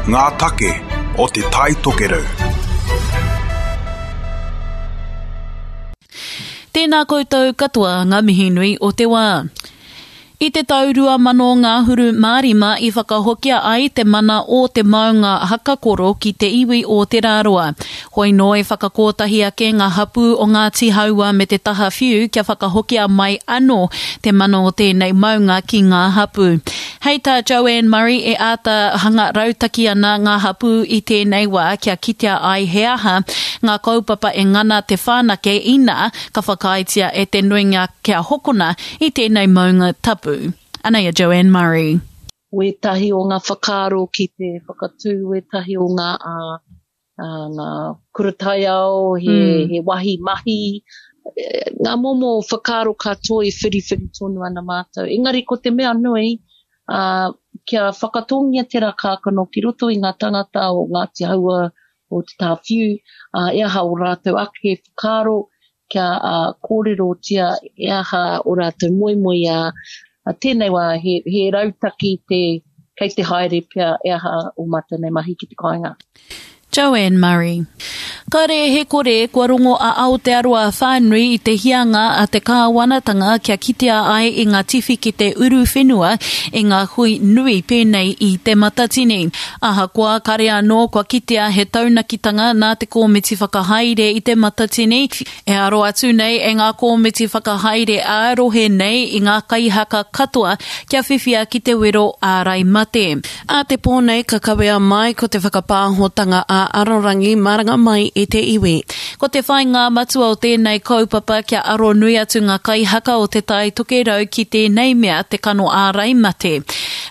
Ngā take o Te Tai Tokerau. Tēnā koutou katoa ngā mihi nui o te wā. I te tau 2000 ngahuru mā rima i whakahokia ai te mana o te maunga Hakakoro ki te iwi o Te Rāroa. Hoi nō i whakakōtahi ake ngā hapū o Ngāti Hāua me te taha whiu kia whakahokia mai anō te mana o tēnei maunga ki ngā hapū. Hei tā Joanne Murray e āta hanga rautaki ana ngā hapū i tēnei wā kia kitea ai he aha ngā kaupapa e ngana te whanake inā ka whakaaetia e te nuinga kia hokona i tēnei maunga tapu. Anei a Joanne Murray. Wētahi o ngā whakaaro ki te whakatū wētahi o ngā ngā kura taiao, he, mm. he wahi mahi, ngā momo whakaaro katoa e whiriwhiri tonu ana mātou. Engari ko te mea nui, uh, kia whakatōngia tērā kākano ki roto i ngā tangata o Ngāti Haua, o Te Tāwhiu, uh, e aha o rātou ake whakaaro, kia uh, kōrerotia e aha o rātou moemoeā. Uh, tēnei wā, he, he rautaki te, kei te haere pea e aha o mātou nei mahi ki te kāinga. Joanne Murray. Kare he kore kua rongo a Aotearoa whānui i te hianga a te kāwanatanga kia kitea ai i ngā tiwhikete uruwhenua i ngā hui nui pēnei i Te Matatini. Ahakoa kare anō kua kitea he taunakitanga nā te kōmiti whakahaere i Te Matatini, e aro atu nei e ngā kōmiti whakahaere ā-rohe nei i ngā kaihaka katoa kia whiwhia ki te wero ārai mate. Ā te pō nei ka kawea mai ko te whakapāhotanga ā-arorangi maranga mai i te iwi. Ko te whaingā matua o tēnei kaupapa kia aro nui atu ngā kaihaka o Te Tai Tokerau ki tēnei mea te kano ārai mate.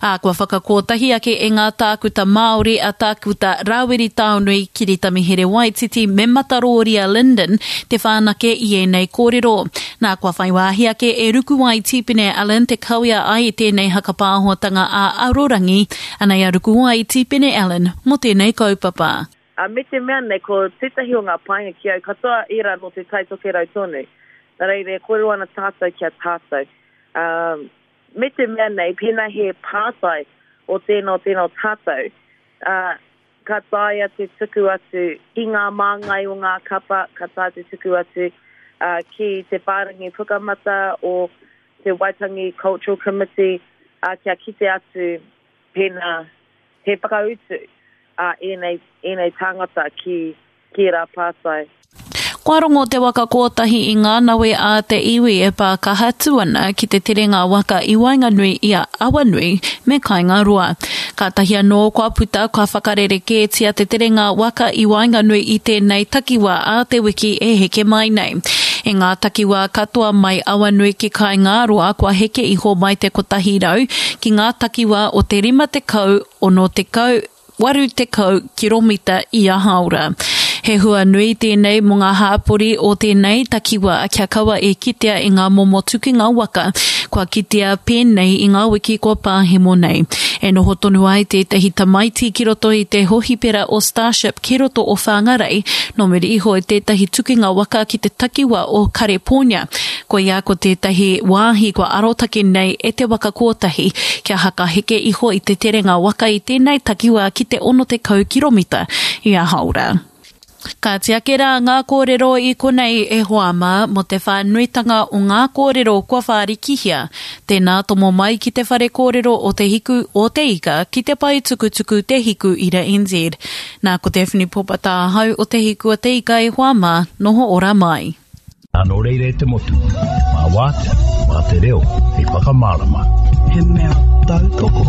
Ā, kua whakakōtahi ake e ngā tākuta Māori a Tākuta Rāwiri Taonui, Kiritami Here-Waititi me Matarōria Lyndon te whanake i ēnei kōrero. Nā, kua whai wāhi ake e Rukuwai Tīpene Allen te kawea ai i tēnei hakapāhotanga ā-arorangi, anei a Rukuwai Tīpene Allen mō tēnei kaupapa. Ā, me te mea nei, ko tētahi o ngā painga ki au, katoa ērā nō Te Tai Tokerau tonu. Nā reira, e kōrero ana tātou ki a tātou. Ā, me te mea nei, pēnā he pātai o tēnā o tēnā o tātou, ā, ka taea te tuku atu ki ngā māngai o ngā kapa, ka taea te tuku atu ki te whārangi pukamata o te Waitangi Cultural Committee kia kite atu pēnā he whakautu a ēnei, ēnei tāngata ki, ki ērā pātai. Kua rongo te waka kōtahi i ngā nawe a te iwi e pā kaha atu ana ki te terenga waka i waenganui i a Awanui me Kaingaroa. Kātahi anō kua puta kua whakarerekētia te terenga waka i waenganui i tēnei takiwā ā te wiki e heke mai nei. I ngā takiwā katoa mai Awanui ki Kaingaroa kua heke iho mai te 100 ki ngā takiwā o te 50, 60, 80 kiromita ia hāora. He hua nui tēnei mō ngā hāpori o tēnei takiwā kia kaua e kitea i ngā momo tukinga waka kua kitea pēnei i ngā wiki kua pāhemo nei. E noho tonu ai tētahi tamaiti ki roto i te hohipera o Starship ki roto o Whangarei nō muri iho i tētahi tukinga waka ki te takiwā o Karepōnia. Koia ko tētahi wāhi kua arotake nei e te waka kōtahi kia hakaheke iho i te terenga waka i tēnei takiwā ki te 60 kiromita ia haora. Kāti ake rā ngā kōrero i konei e hoa mā mō te whānuitanga o ngā kōrero kua whārikihia. Tēnā tomo mai ki te whare kōrero o Te Hiku o Te Ika ki te pae tukutuku Te Hiku Ira NZ. Nā ko Daphne Popata ahau o Te Hiku o Te Ika e hoa mā, noho ora mai. Nō reira e te motu, mā wātea, mā te reo hei whakamārama. He mea tautoko.